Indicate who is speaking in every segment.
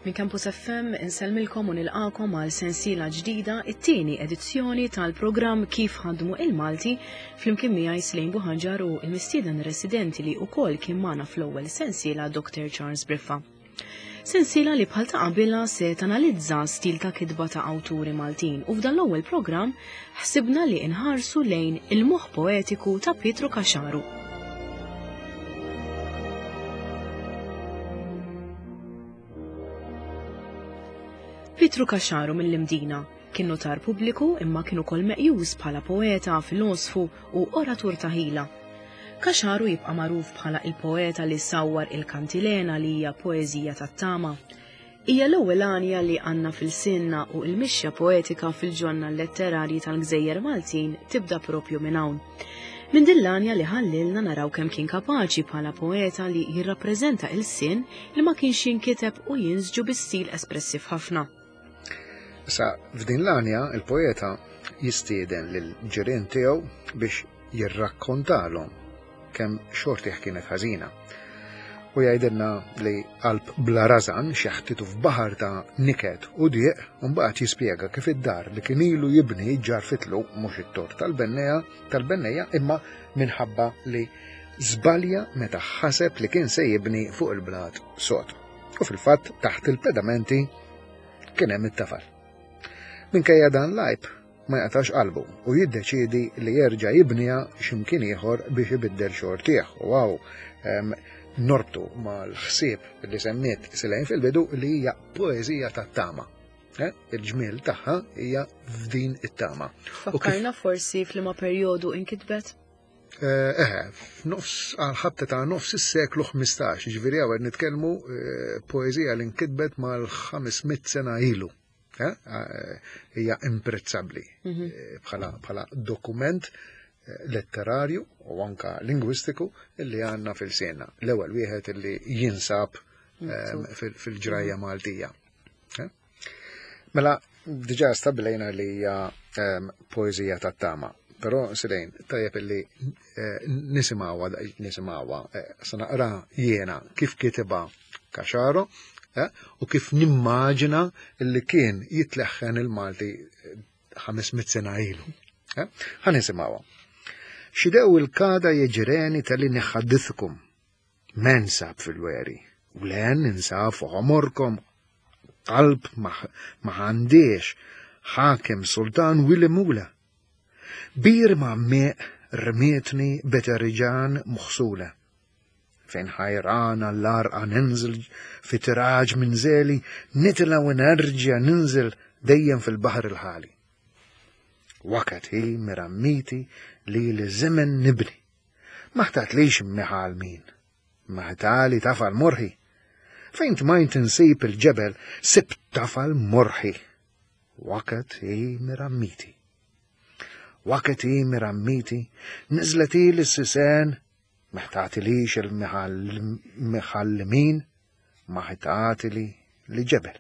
Speaker 1: Minn Campus FM insellmilkom u nilqakom għal sensiela ġdida, it-tieni edizzjoni tal-programm Kif ħadmu il-Malti flimkien miegħi Slejn Buħanġar u l-mistieden residenti li wkoll kien magħna fl-ewwel sensiela Dr. Charles Briffa. Sensiela li bħal ta' qabilha se tanalizza stil ta' kitba ta' awturi Maltin u f'dan l-ewwel programm ħsibna li nħarsu lejn il-moħħ poetiku ta' Pietru Caxaru. Pietru Caxaru mill-Imdina kien notar pubbliku imma kien ukoll meqjus bħala poeta, filosfu u oratur ta' ħila. Caxaru jibqa' magħruf bħala il-poeta li sawwar il-kantilena li hija poeżija tat-tama. Hija l-ewwel għanja li għandna f'ilsienna u l-mixja poetika fil-ġonna letterarji tal-gżejjer Maltin tibda propju minn hawn. Minn din l-għanja li ħallilna naraw kemm kien kapaċi bħala poeta li jirrappreżenta ilsien li ma kienx jinkiteb u jinsġu bi stil espressiv ħafna.
Speaker 2: Issa, f'din l-għanja il-poeta jistieden lill-ġirien tiegħu biex jirrakkontalhom kemm xortih kienet ħażina. U jgħidilna li qalb bla rażan xeħtitu f'baħar ta' niket u dieq u mbagħad jispjega kif id-dar li kien ilu jibni ġarfitlu mhux it-tort tal-bennejja tal-bennejja imma minħabba li żbalja meta ħaseb li kien se jibni fuq il-blat sod. U fil-fatt taħt il-pedamenti kien hemm it-tafal. Minkejja dan l-għajb, ma jaqtax qalbu u jiddeċiedi li jerġa' jibniha x'imkien ieħor biex ibiddel xortih. U hawn norbtu mal-ħsieb li semmiet Silejn fil-bidu li hija poeżija tat-tama. Eh, il-ġmiel tagħha hija f'din it-tama.
Speaker 1: Fakkarna forsi f'liema perjodu inkitbet?
Speaker 2: Eh, eh, f'nofs għal-ħabta ta' nofs is-seklu 15, ġifieri hawn nitkellmu eh, poeżija li nkitbet mal-500 sena ilu. Eh, eh, hija imprezzabbli mhm. eh, bħala dokument letterarju u anka lingwistiku illi għandna fil-sena. L-ewwel wieħed illi jinsab fil-ġrajja mhm. Maltija. Mela, diġà stabilejna li hija poeżija tat-tama. Però Silejn, tajjeb illi nisimgħuha nisimgħuha, se naqra jiena kif kitibha Caxaro eh, u kif nimmaġina li kien jitleħħen il-Malti 500 eh, sena ilu. Eh, ħa nisimgħuha. Xidew il-kada jeġreni tal-li neħaddithkum. Men sab fil-weri, u len insab fuq għomorkom, qalb ma għandiex, ħakem sultan wili mula. Bir ma meq rmietni beterġan muħsula. Fejn ħajran għall-għarqa ninżel fi tiraġ minn żeli, nitla' u nerġa' ninżel dejjem fil-baħar il-ħali. Wakat hi mirammiti li li żemen nibni. Ma ħtatlix miħal min, ma ħtali tafal morħi. Fejn tmajnt insib il-ġebel, sibt tafal morħi. Wakat hi mirammiti. Wakat hi mirammiti, niżlet hi l-sisen Meħtatilix il-miħallimin, ma ħitatili li ġebel.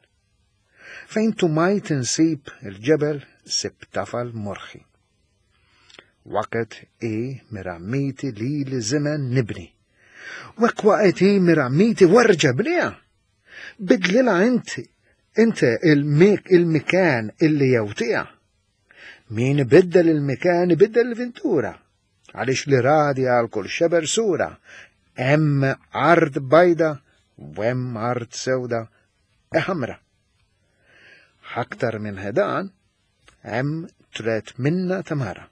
Speaker 2: Fejn tumajt insib il-ġebel sib tafal morħi. Waket i mirammiti li li zimen nibni. Wek waqet i mirammiti warġa bnija. Bidlila inti, inti il-mikan illi jewtija. Min ibiddel il-mikan ibiddel il-vintura. Għaliex li radi għal kull xeber sura, hemm art bajda u hemm art sewda e ħamra. Aktar minn hedan, hemm tret minna tamara.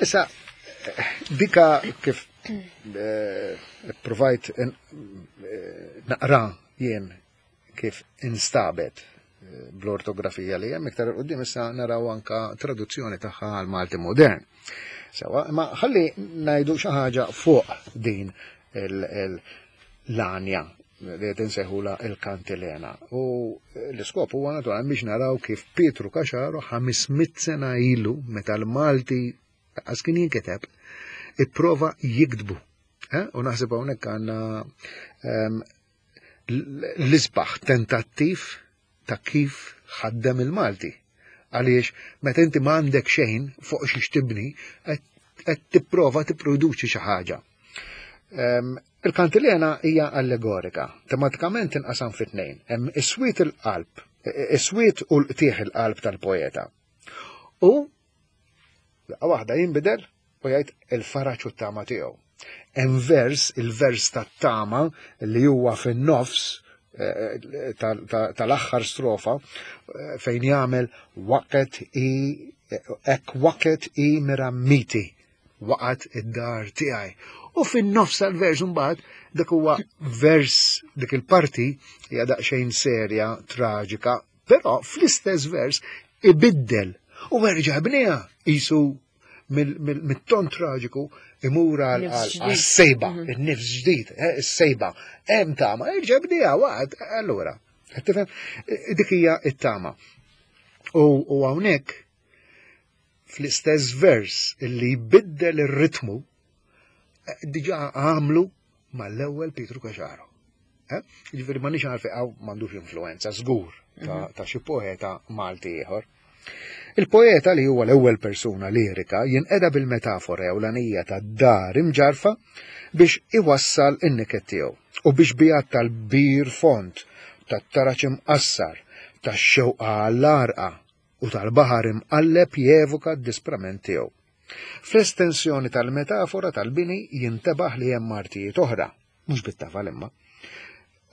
Speaker 2: Issa, dika kif eh, provajt eh, naqra jien kif instabet eh, bl-ortografija li hemm iktar qudiem issa naraw anka traduzzjoni tagħha għal Malti modern. Sewa, ma ħalli ngħidu xi ħaġa fuq din l-għanja li qed insejħula il-kantilena. U l-iskop huwa naturalment biex naraw kif Pietru Caxaro 500 sena ilu meta l-Malti għas kien jinkiteb, ipprova jiktbu. Eh? U naħseb hawnhekk għandna ehm, l-isbaħ tentattiv ta' kif ħaddem il-Malti. Għaliex meta inti ma għandek xejn fuq xiex tibni, qed tipprova tipproduċi xi ħaġa. Il-kantilena hija allegorika, tematikament tinqasam fi tnejn, hemm is-swied il-qalb, is-swied u l-qtieħ il-qalb tal-poeta. U daqqa waħda jinbidel u jgħid il-faraġ u t-tama tiegħu. Hemm vers, il-vers tat-tama li huwa fin-nofs eh, tal-aħħar strofa eh, fejn jagħmel waqet i ek waqet i mirammiti waqgħet id-dar tiegħi. U fin-nofs tal-vers imbagħad dak huwa vers dik il-parti hija daqsxejn serja, traġika, però fl-istess vers ibiddel u erġa' bniha qisu mit-ton traġiku imur għal-sejba, mhm. il-nifs ġdid, eh, is-sejba. Hemm tama, erġa' bniha waqgħet, allura. Tifhem? Dik hija it-tama. U hawnhekk fl-istess vers li jbiddel ir-ritmu, eh, diġa għamlu mal-ewwel Pietru Caxaro. Eh? Ġifieri ma nix għarfi għaw m'għandux influenza żgur ta' mhm. xi poeta Malti ieħor. Il-poeta li huwa l-ewwel persuna lirika jinqeda bil-metafora ewlenija ta' dar imġarfa biex iwassal in-niket tiegħu u biex bijat tal-bir font, tat-taraċ imqassar, tax-xewqa għall-għarqa u tal-baħar imqalleb jevoka d-disprament tiegħu. Fl-estensjoni tal-metafora tal-bini jintebaħ li hemm artijiet oħra, mhux bit-tafal imma.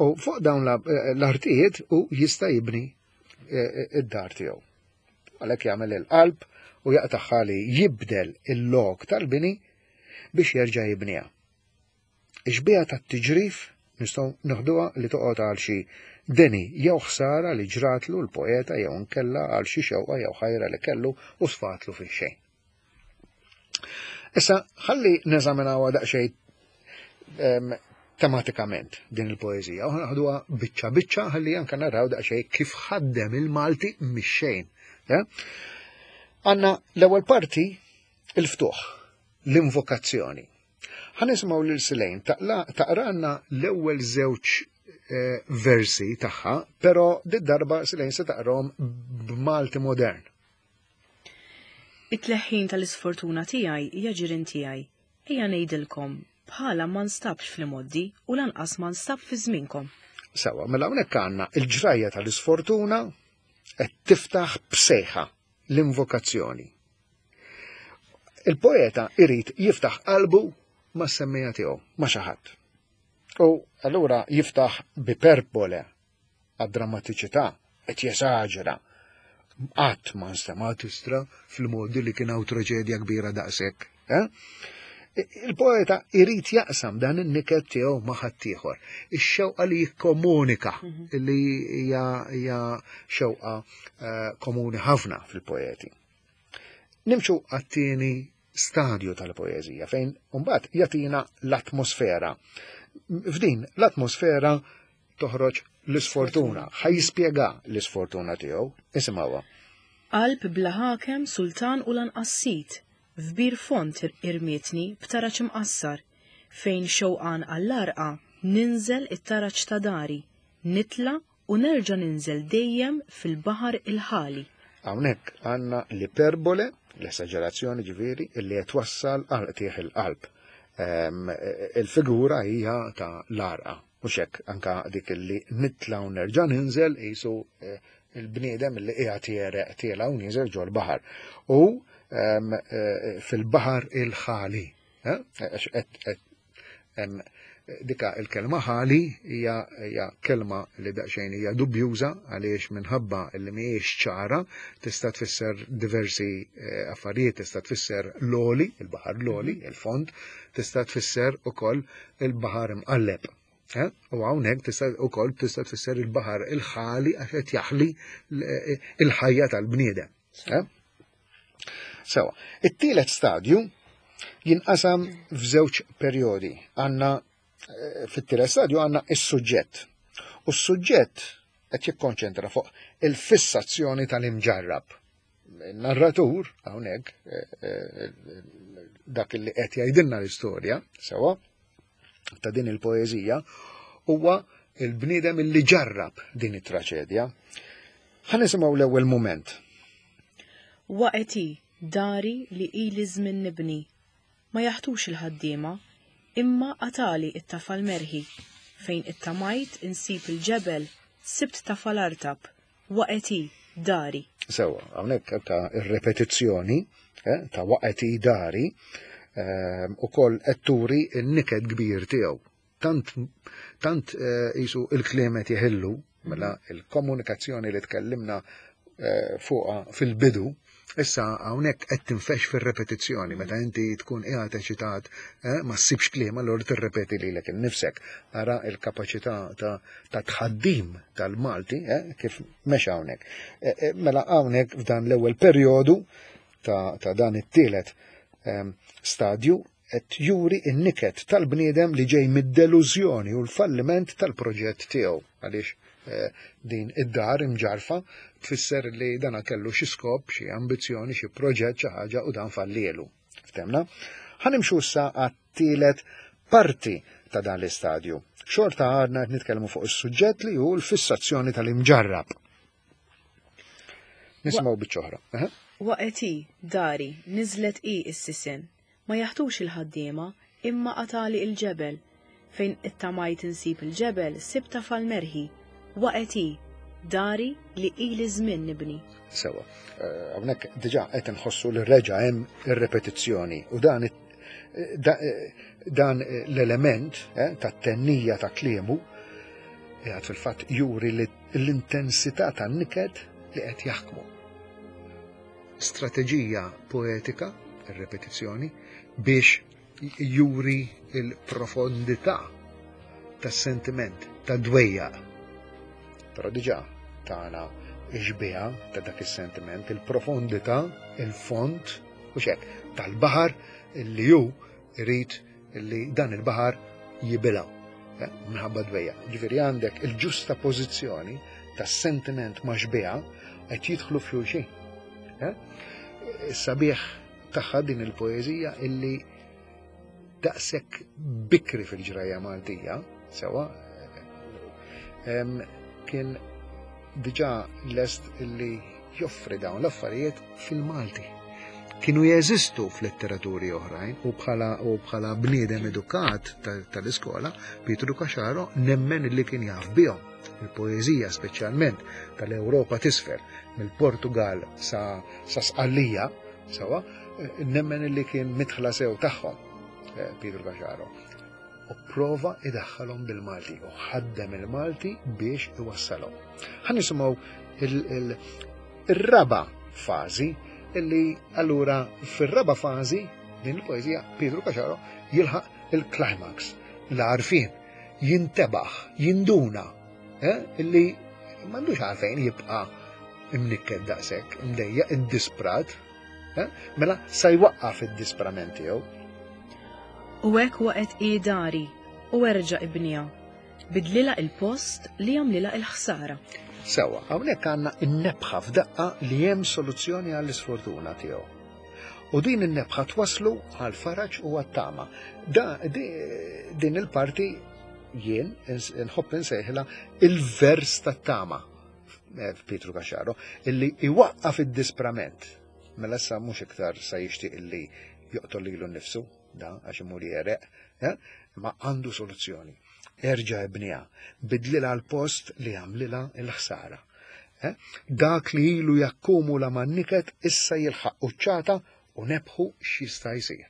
Speaker 2: U fuq dawn l-artijiet u jista' jibni eh, eh, id-dar tiegħu. Għalhekk jagħmel il-qalb u jaqtagħha li jibdel il-lok tal-bini biex jerġa' jibniha. Ix-xbieha tat-tiġrif nistgħu neħduha li toqgħod għal xi deni jew ħsara li ġratlu l-poeta jew inkella għal xi xewqa jew ħajra li kellu u sfatlu fix-xejn. Issa ħalli neżaminawha daqsxejn ehm, tematikament din il-poeżija u naħduha biċċa biċċa ħalli anke naraw daqsxejn kif ħaddem il-Malti mix-xejn. Eh? Għandna l-ewwel parti il-ftuħ, l-invokazzjoni. Ħa nisimgħu lil Silejn taqralna l-ewwel żewġ eh, versi tagħha, però did-darba Silejn se taqrahom b'Malti modern.
Speaker 1: It-tleħħin tal-isfortuna tiegħi hija ġirien tiegħi. Ejja ngħidilkom, bħala ma nstabx fl-imgħoddi u lanqas ma nstab fi żmienkom.
Speaker 2: Sawa, mela hawnhekk għandna il-ġrajja tal-isfortuna qed tiftaħ b'sejħa l-invokazzjoni. Il-poeta irid jiftaħ qalbu ma' semmija tiegħu, ma' xi ħadd. U allura jiftaħ b'iperbole għad-drammatiċità, qed jesaġera. Qatt ma nstema' tistra fil-modi li kien hawn traġedja kbira daqshekk. Eh? Il-poeta irid jaqsam dan in-niket tiegħu ma' ħaddieħor. Ix-xewqa li jikkomunika mhm. li hija xewqa eh, komuni ħafna fil-poeti. Nimxu għat-tieni stadju tal-poeżija fejn mbagħad jagħtina l-atmosfera. F'din l-atmosfera toħroġ l-isfortuna, ħa jispjega l-isfortuna tiegħu, isimgħuha.
Speaker 1: Qalb bla ħakem, sultan u lanqas sid, f'bir fond irmietni b'taraġ imqassar, fejn xewqan għall-għarqa ninżel it-taraġ ta' dari, nitla' u nerġa' ninżel dejjem fil-baħar il-ħali.
Speaker 2: Hawnhekk għandna l-iperbole, l-esaġerazzjoni ġifieri, illi qed twassal għal qtigħ il-qalb. Ehm, il-figura hija ta' l-għarqa, mhux hekk anka dik illi nitla' u nerġa' ninżel qisu eh, il-bniedem li qiegħed jereq tiela' u nieżel ġol-baħar. U ehm, eh, fil-baħar il-ħali. Eh, dika il-kelma ħali hija hija kelma li daqsxejn hija dubjuża għaliex minħabba li mhijiex ċara tista' tfisser diversi eh, affarijiet, tista' tfisser l-oli, il-baħar l-oli, mhm. il-fond, tista' tfisser ukoll il-baħar imqalleb. Eh? U hawnhekk tista' ukoll tista' tfisser il-baħar il-ħali għax qed jaħli eh, il-ħajja tal-bniedem. Eh? Sewa, it-tielet stadju jinqasam f'żewġ perjodi. Għandna eh, fit-tielet stadju għandna is-suġġett. U s-suġġett qed jikkonċentra fuq il-fissazzjoni tal-imġarrab. Il-narratur hawnhekk eh, eh, dak li qed jgħidilna l-istorja, sewa, ta' din il-poeżija huwa il-bniedem li ġarrab din it-traċedja. Ħa nisimgħu l-ewwel mument.
Speaker 1: Waqgħet hi, dari li ili żmien nibni. Ma jaħtux il-ħaddiema. Imma qatagħli t-tafal merħi. Fejn ittamajt insib il-ġebel, sibt tafal artab, waqgħet hi, dari.
Speaker 2: Sewwa, hawnhekk ta' ir-repetizzjoni eh, ta' waqgħet hi dari eh, ukoll qed turi n-niket kbir tiegħu. Tant tant eh, qisu il-kliem qed jeħillu mela il-komunikazzjoni li tkellimna eh, fuqha fil-bidu Issa hawnhekk qed tinfex fir-repetizzjoni meta inti tkun qiegħed eċitat eh, ma ssibx kliem allura tirrepeti lilek innifsek. Ara l-kapaċità ta' ta' tħaddim tal-Malti eh, kif mexa hawnhekk. Eh, mela hawnhekk f'dan l-ewwel perjodu ta', ta dan it-tielet ehm, stadju qed juri n-niket tal-bniedem li ġej mid-delużjoni u l-falliment tal-proġett tiegħu għaliex eh, din id-dar imġarfa tfisser li dana kellu xi skop, xi ambizzjoni, xi proġett, xi ħaġa u dan fallielu. Ftemna? Ħanimxu issa għat-tielet parti ta' dan l-istadju. Xorta għadna qed nitkellmu fuq is-suġġett li hu l-fissazzjoni tal-imġarrab. Nisimgħu biċċa oħra.
Speaker 1: Waqgħet hi, dari, niżlet hi s-sisien. Ma jaħtux il-ħaddiema, imma qatagħli il-ġebel. Fejn ittamajt insib il-ġebel, sibt tafal merħi. Waqgħet hi, dari li ili żmien nibni.
Speaker 2: Sewwa. Eh, hawnhekk diġà qed inħossu li reġa' hemm ir-repetizzjoni u dan eh, eh, dan l-element tat-tennija ta' kliemu qiegħed fil-fatt juri li l-intensità tan-niket li qed jaħkmu. Strateġija poetika, ir-repetizzjoni, biex juri l-profondità tas-sentiment, tad-dwejjaq. Però diġà tana xbieha ta' dak is-sentiment, il-profondità, il-fond, u xek, tal-baħar li hu irid li dan il-baħar jibilgħu eh, minħabba dwejjaq. Ġifieri għandek il-ġusta pożizzjoni tas-sentiment ma' xbieha qed jidħlu f'xulxin. Eh? Sabiħ tagħha din il-poeżija illi daqshekk bikri fil-ġrajja Maltija, sewa, kien diġà lest illi joffri dawn l-affarijiet fil-Malti. Kienu jeżistu f'letteraturi oħrajn u bħala u bħala bniedem edukat tal-iskola, Pietru Caxaro nemmen li kien jaf bihom. Il-poeżija speċjalment tal-Ewropa t'isfel, mill-Portugal sa, sa Sqallija, sewa, nemmen li kien midħla sew tagħhom eh, Pietru Caxaro. U prova idaħħalhom bil-Malti u ħaddem il-Malti biex iwassalhom. Ħa nisimgħu il-raba fażi illi allura fir-raba fażi din il-poeżija Pietru Caxaro jilħaq il-climax, l-għarfien, jintebaħ, jinduna eh, illi m'għandux għalfejn jibqa' imnikket daqshekk, imdejjaq, iddisprat, Eh? Mela sa jwaqqaf id-disprament tiegħu.
Speaker 1: U hekk waqgħet hi dari u erġa' ibniha. Bidlilha il-post li għamlilha il-ħsara.
Speaker 2: Sewa, hawnhekk għandna n-nebħa f'daqqa li hemm soluzzjoni għall-isfortuna tiegħu. U din in-nebħa twaslu għal faraġ u għat-tama. Da, di, din il-parti jien nħobb insejħilha il-vers tat-tama. Eh, Pietru Caxaro, illi iwaqqaf id-disprament. Mela issa mhux iktar sa jixtieq illi joqtol lilu nnifsu, da għax imur jereq, eh, ma għandu soluzzjoni. Erġa' ibniha, bidlilha l-post li għamlilha l-ħsara. Eh, dak li ilu jakkumula man-niket issa jilħaq quċċata u nebħu x'jista' jsir.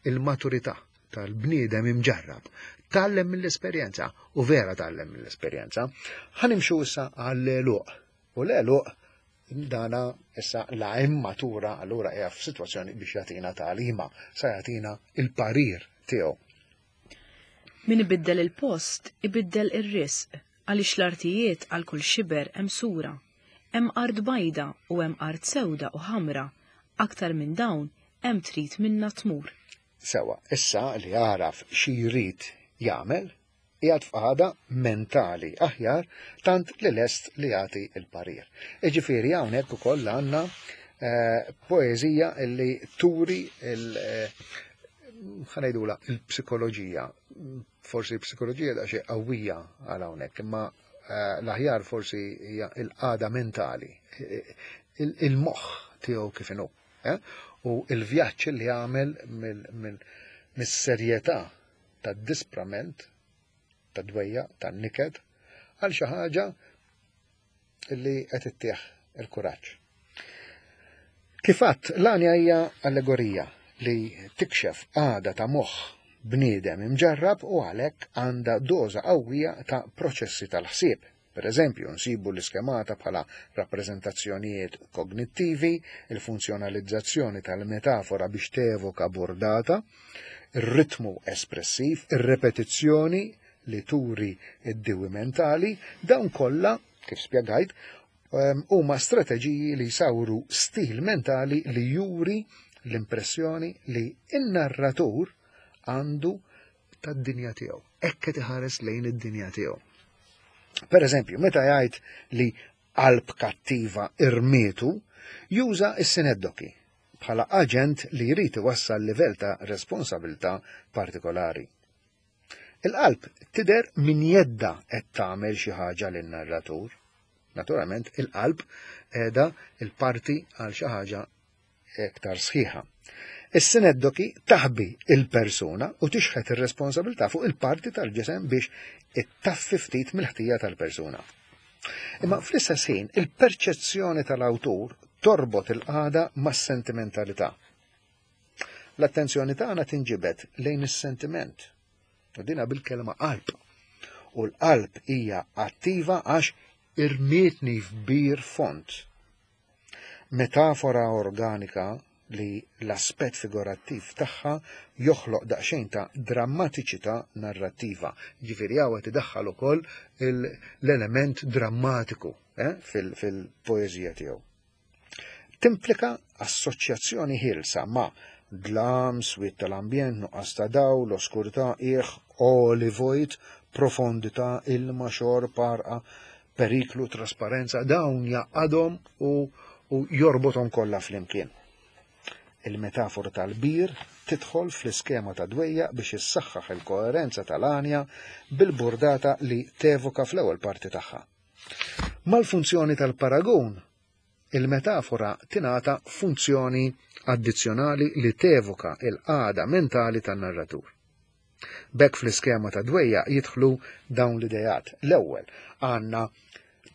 Speaker 2: Il-maturità tal-bniedem imġarrab. Tgħallem mill-esperjenza u vera tgħallem mill-esperjenza. Ħa nimxu issa għall-għeluq. U l-għeluq dana issa la immatura allura hija f'sitwazzjoni biex jagħtina tagħlima, sa jagħtina il-parir tiegħu.
Speaker 1: Min ibiddel il-post, ibiddel ir-risq, għaliex l-artijiet għal kull xiber hemm sura. Hemm art bajda u hemm art sewda u ħamra, aktar minn dawn hemm trid minnha tmur.
Speaker 2: Sewwa, issa li għaraf xi jrid jagħmel, qiegħed f'qagħda mentali aħjar tant li lest li jagħti l-parir. Jiġifieri hawnhekk ukoll għandna eh, poeżija li turi il eh, ħanejdula il-psikoloġija. Forsi l-psikoloġija da xi qawwija għal hawnhekk, imma eh, l-aħjar forsi hija l-qagħda mentali, il-moħħ tiegħu kif inhu. Eh? U l-vjaġġ li għamel mis-serjetà tad-disprament, tad-dwejjaq, tan-niket, għal xi ħaġa li qed ittih il-kuraġġ. Kif għadt, l-għanja hija allegorija li tikxef qagħda ta' moħħ bniedem imġarrab u għalhekk għandha doża qawwija ta' proċessi tal-ħsieb. Per eżempju, nsibu l-iskemata bħala rappreżentazzjonijiet kognittivi, il-funzjonalizzazzjoni tal-metafora biex tevoka burdata, ir-ritmu espressiv, ir-repetizzjoni li turi d-diwi mentali, dawn kollha, kif spjegajt, ehm, huma strateġiji li jsawru stil mentali li juri l-impressjoni li n-narratur għandu tad-dinja tiegħu. Hekk qed iħares lejn id-dinja tiegħu. Per eżempju, meta jgħid li qalb kattiva irmietu, juża s-sineddoki bħala aġent li jrid iwassal livell ta' responsabilità partikolari. Il-qalb tidher minn jedda qed tagħmel xi ħaġa lin-narratur. Naturalment, il-qalb qiegħda il-parti għal xi ħaġa iktar sħiħa. Is-sineddoki taħbi il-persuna u tixħet ir-responsabilità fuq il-parti tal-ġisem biex ittaffi ftit mill-ħtija tal-persuna. Imma fl-istess ħin, il-perċezzjoni tal-awtur torbot il-qagħda mas-sentimentalità. L-attenzjoni tagħna tinġibed lejn is-sentiment. U dina bil-kelma qalb. U l-qalb hija attiva għax irmietni f'bir fond. Metafora organika li l-aspett figurattiv tagħha joħloq daqsxejn ta' drammatiċità narrattiva. Ġifieri hawn qed idaħħal ukoll l-element drammatiku eh, fil-poeżija tiegħu. Timplika assoċjazzjoni ħielsa ma' dlam, swied tal-ambjent, nuqqas ta' dawl, oskurità, qiegħ, għoli vojt, profondità, ilma, xorb, għarqa, periklu, trasparenza, dawn jgħaqqadhom u, u jorbothom kollha flimkien. Il-metafora tal-bir tidħol fl-iskema ta' dwejjaq biex issaħħaħ il-koerenza tal-għanja bil-burdata li tevoka fl-ewwel parti tagħha. Mal-funzjoni tal-paragun, il-metafora tingħata funzjoni addizzjonali li tevoka il-qagħda mentali tan-narratur. B'hekk fl-iskema ta' dwejjaq jidħlu dawn l-ideat. L-ewwel għandna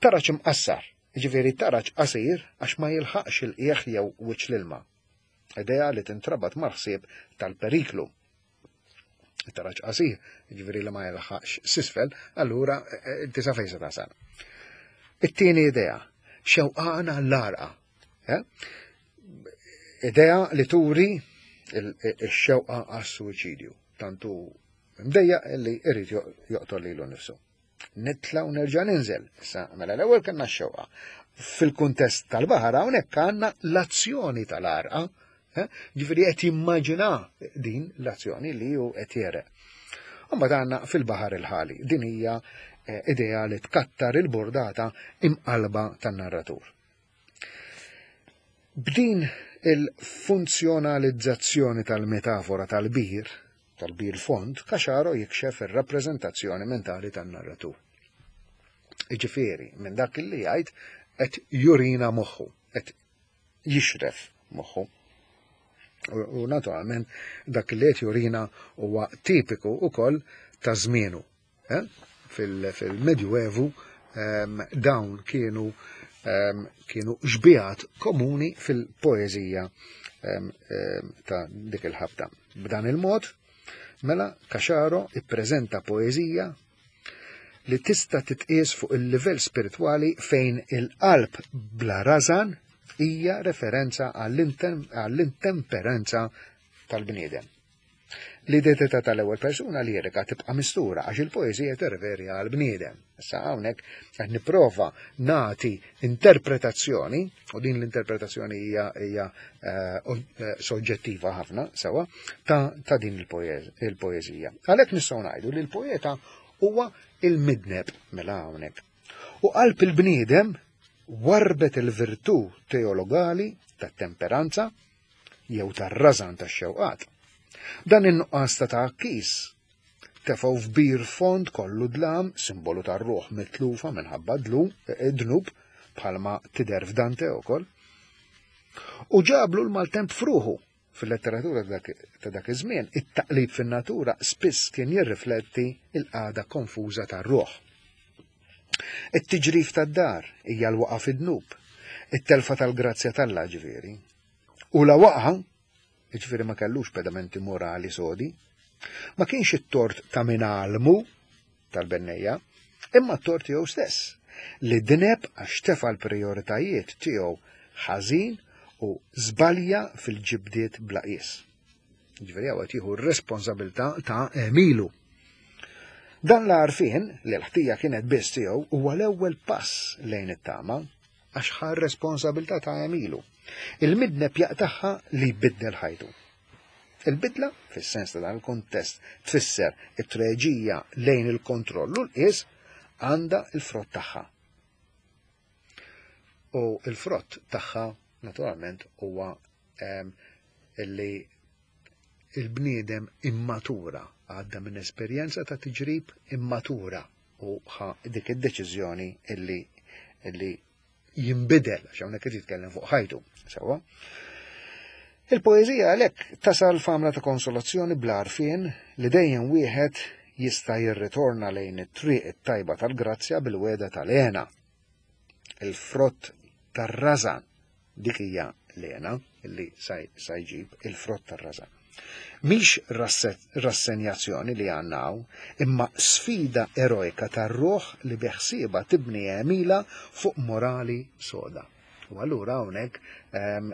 Speaker 2: taraġ imqassar, jiġifieri taraġ qasir għax ma jilħaqx il-qiegħ jew wiċċ l-ilma. Idea li tintrabat mal-ħsieb tal-periklu. Taraġ qasir, jiġifieri li ma jilħaqx s'isfel, allura eh, eh, tisa fejn se tasal. It-tieni idea, xewqana l-għarqa. Eh? Idea li turi ix-xewqa għas-suwiċidju. Tantu mdejja li irid joqtol lilu nnifsu. Nitla u nerġa' ninżel. Issa mela l-ewwel kellna x-xewqa. Fil-kuntest tal-baħar hawnhekk għandna l-azzjoni tal-għarqa. Eh? Ġifieri qed jimmaġina din l-azzjoni li hu qed jereq. Imbagħad għandna fil-baħar il-ħali. Din hija eh, idea li tkattar il-burdata imqalba tan-narratur. B'din il-funzjonalizzazzjoni tal-metafora tal-bir, tal-bir fond, Caxaro jikxef ir-rappreżentazzjoni mentali tan-narratur. Jiġifieri, minn dak li jgħid qed jurina moħħu, qed jixref moħħu. U naturalment dak li qed jurina huwa tipiku wkoll ta' żmienu. Eh? Fil-Medjuevu ehm, dawn kienu ehm, kienu xbijat komuni fil-poeżija ehm, ta' dik il-ħabta. B'dan il-mod, mela Caxaro ippreżenta poeżija li tista' titqies fuq il-livell spiritwali fejn il-qalb bla rażan hija referenza għall-intemperanza tal-bniedem. L-identità tal-ewwel persuna lirika tibqa' mistura għax il-poeżija tirreferi għal bniedem. Issa hawnhekk qed nipprova nagħti interpretazzjoni, u din l-interpretazzjoni hija hija eh, eh, soġġettiva ħafna sewa, ta', ta din il-poeżija. Għalhekk nistgħu ngħidu li l-poeta huwa il-midneb mela hawnhekk. U qalb il-bniedem warbet il-virtù teologali tat-temperanza jew tar-rażan tax-xewqat. Dan in-nuqqas ta' tgħakkis tefgħu f'bir fond kollu dlam, simbolu tar-ruħ mitlufa minħabba dlu, eh, dnub, bħalma tidher f'Dante wkoll. U ġablu l-maltemp fruħu. Fil-letteratura ta' dak iż-żmien, it-taqlib fin-natura spiss kien jirrifletti l-qagħda konfuża tar-ruħ. It-tiġrif tad-dar hija l-waqa' fid-dnub, it-telfa tal-grazzja t'Alla ġifieri. U la waqa', jiġifieri ma kellux pedamenti morali sodi, ma kienx it-tort ta' min għallmu tal-bennejja, imma t-tort tiegħu stess, li dineb għax tefa' l-prijoritajiet tiegħu ħażin u żbalja fil-ġibdiet bla qies. Ġifieri hawn qed jieħu r-responsabilità ta' għemilu. Dan l-għarfien li l-ħtija kienet biss tiegħu huwa l-ewwel pass lejn it-tama għax ħa r-responsabilità ta' għemilu. Il-midneb jaqtagħha li jbiddel ħajtu. Il-bidla, fis-sens ta' dan il-kuntest, tfisser it-treġija lejn il-kontroll u l-qies għandha l-frott tagħha. U l-frott tagħha, naturalment, huwa ehm, li il-bniedem immatura, għadda minn esperjenza ta' tiġrib immatura u ħa dik id-deċiżjoni illi illi jinbidel, għax hawnhekk qed jitkellem fuq ħajtu, sewwa. Il-poeżija għalhekk tasal f'għamla ta' konsolazzjoni bl-għarfien li dejjem wieħed jista' jirritorna lejn it-triq it-tajba tal-grazzja bil-wegħda tal-hena. Il-frott tar-rażan Dik hija l-hena li sa jġib il-frott tar-rażan. Mhix rassenjazzjoni li għandna hawn, imma sfida erojka tar-ruħ li beħsiebha tibni għemilha fuq morali soda. U allura hawnhekk ehm,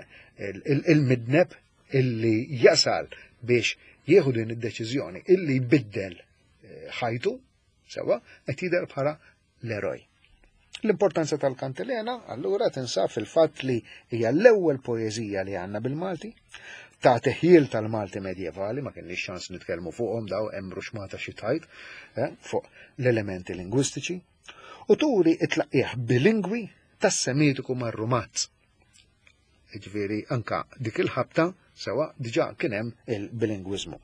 Speaker 2: il-midneb illi jasal biex jieħu din id-deċiżjoni illi jbiddel eh, ħajtu, sewa, qed jidher bħala l-eroj. L-importanza tal-kantilena allura tinsab fil-fatt li hija l-ewwel poeżija li għandna bil-Malti, ta' teħjil tal-Malti medjevali, ma kienx ċans nitkellmu fuqhom daw hemm ruxmata xi tajt eh, fuq l-elementi lingwistiċi, u turi it-tlaqqieħ bilingwi tas-Semitiku mar-Rumazz. Jiġifieri anka dik il-ħabta sewa diġà kien hemm il-bilingwiżmu.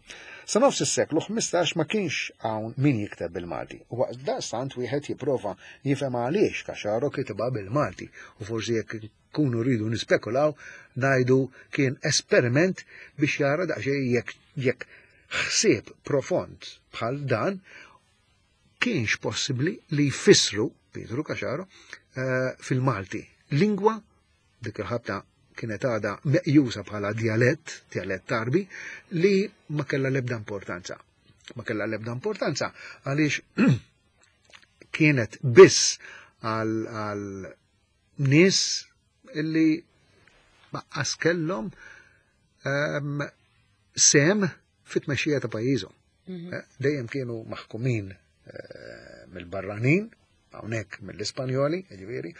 Speaker 2: Sa nofs is-seklu 15 ma kienx hawn min jikteb bil-Malti. U waqt daqstant wieħed jipprova jifhem għaliex Caxaro kitibha bil-Malti u forsi jekk kunu rridu nispekulaw ngħidu kien esperiment biex jara daqsxejn jekk jekk ħsieb profond bħal dan kienx possibbli li jfissru Pietru Caxaro eh, fil-Malti. Lingwa dik il-ħabta kienet għadha meqjusa bħala djalett, djalett Għarbi, li ma kellha l-ebda importanza. Ma kellha l-ebda importanza għaliex kienet biss għal nies illi baqqas kellhom ehm, sem fit-tmexxija ta' pajjiżhom. Mhm. Eh, dejjem kienu maħkumin eh, mill-barranin, hawnhekk mill-Ispanjoli, jiġifieri,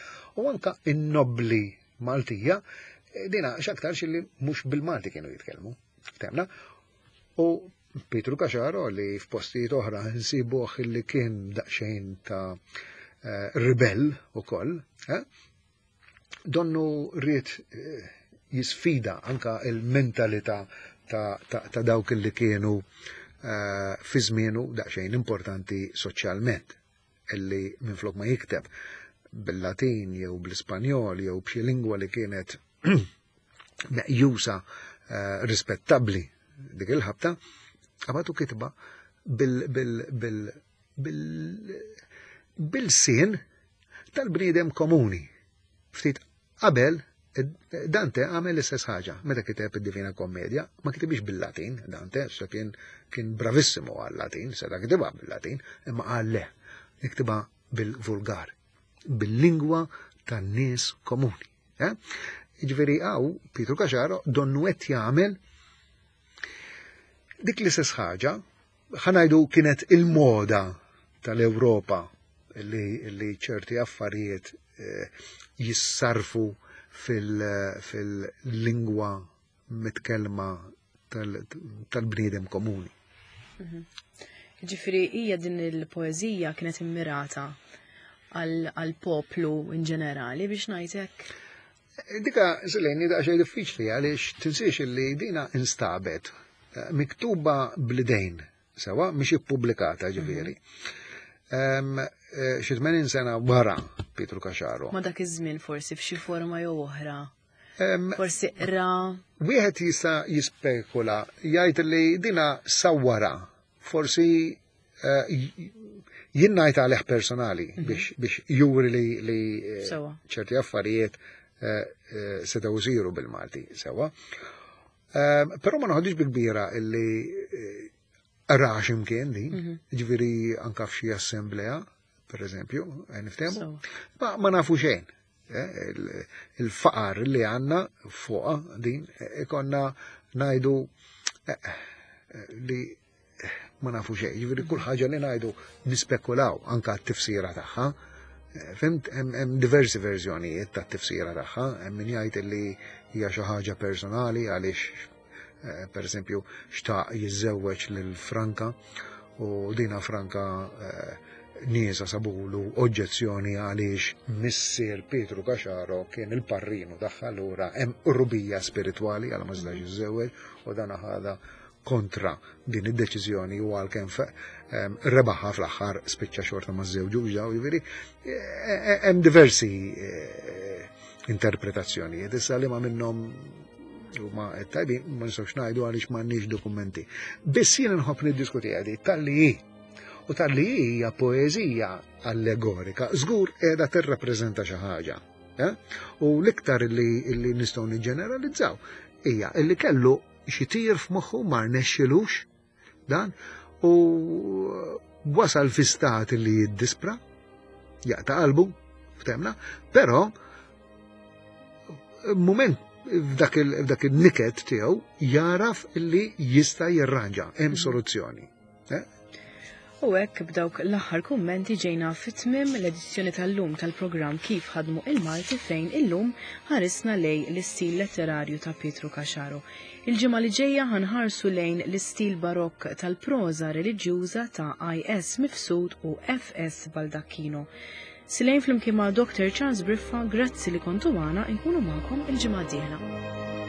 Speaker 2: u anka in-nobbli Maltija, eh, dina x'aktarx li mhux bil-Malti kienu jitkellmu. Temna. U Pietru Caxaro li f'postijiet oħra nsibuh li kien daqsxejn ta' eh, ribell ukoll, eh? donnu ried eh, jisfida anka il-mentalità ta', ta, ta dawk li kienu fi żmienu daqsxejn importanti soċjalment illi minflok ma jikteb bil-Latin jew bl-Ispanjol jew b'xi lingwa li kienet meqjusa eh, rispettabbli dik il-ħabta, għabatu kitba bil-sin tal-bniedem komuni. Ftit qabel Dante għamel l-istess ħaġa meta kiteb id-Divina Kommedja, ma kitibix bil-Latin, Dante, sa kien kien bravissimu għal-Latin, seta kitibha bil-Latin, imma qal le, niktibha bil-vulgar, bil-lingwa tan-nies komuni. Eh? Jiġifieri hawn Pietru Caxaro donnu qed jagħmel dik l-istess ħaġa, ħanajdu kienet il-moda tal-Ewropa li, li ċerti affarijiet eh, jissarfu fil-lingwa mitkellma tal-bniedem komuni.
Speaker 1: Mhm. Ġifiri, hija din il-poezija kienet immirata għal-poplu in ġenerali biex ngħidlek?
Speaker 2: Dika, Seleni, daqsxejn diffiċli għaliex tinsiex li dina instabet eh, miktuba blidejn sewa mhix ippubblikata ġifieri. Mhm. Eh, xi 80 sena wara Pietru Caxaro.
Speaker 1: Ma dak iż-żmien forsi f'xi forma jew oħra. Forsi qra.
Speaker 2: Wieħed jista' jispekula jgħid li dina sawwara forsi eh, jien ngħid għalih personali mhm. biex juri li, li eh, ċerti affarijiet eh, setgħu jsiru bil-Malti sewa. Però ma noħodix bi kbira illi ra x'imkien din, mhm. ġifieri anka f'xi assemblea, per eżempju, niftehmu. Ma, ma nafu xejn. Il-faqar li għanna fuqa din ikonna najdu li ma nafu xejn, ġifieri kull ħaġa li ngħidu nispekulaw anka t-tifsira tagħha. Fimt, hemm diversi verżjonijiet ta' tifsira tagħha, hemm min jgħid li hija xi ħaġa personali għaliex eh, per eżempju xtaq jiżżewweġ lil Franka u dina Franka eh, niesa sabulu oġġezzjoni għaliex missier Pietru Caxaro kien il-parrinu tagħha allura hemm qrubija spiritwali għal ma setax jiżżewweġ u dan ħadha kontra din id-deċiżjoni u għalkemm rebaħha fl-aħħar spiċċa xorta ma żewġux daw jiġifieri e, e, hemm diversi e, interpretazzjonijiet issa li ma minnhom huma tajbin ma nistgħux ngħidu għaliex m'għandniex dokumenti. Biss jien nħobb niddiskuti għadi tal-li hi u tal-li hija poeżija allegorika żgur qiegħda tirrappreżenta xi ħaġa. U l-iktar li, li nistgħu niġġeneralizzaw hija li kellu xi tir f'moħħu ma rnexxilux dan u wasal fi stat li jiddispra, jaqta' qalbu, ftemna, però moment f'dak il-niket tiegħu jaraf li jista' jirranġa, hemm mhm. soluzzjoni. Eh?
Speaker 1: U hekk b'dawk l-aħħar kummenti ġejna fi tmiem l-edizzjoni tal-lum tal-programm Kif Ħadmu il-Malti fejn illum ħarisna lejn l-istil letterarju ta' Pietru Caxaro. Il-ġimgħa li ġejja ħa nħarsu lejn l-istil barokk tal-proża reliġjuża ta' I.S. Mifsud u F.S. Baldacchino. Silejn flimkien ma' Dr. Charles Briffa, grazzi li kontu magħna, inkunu magħkom il-ġimgħa d-dieħla.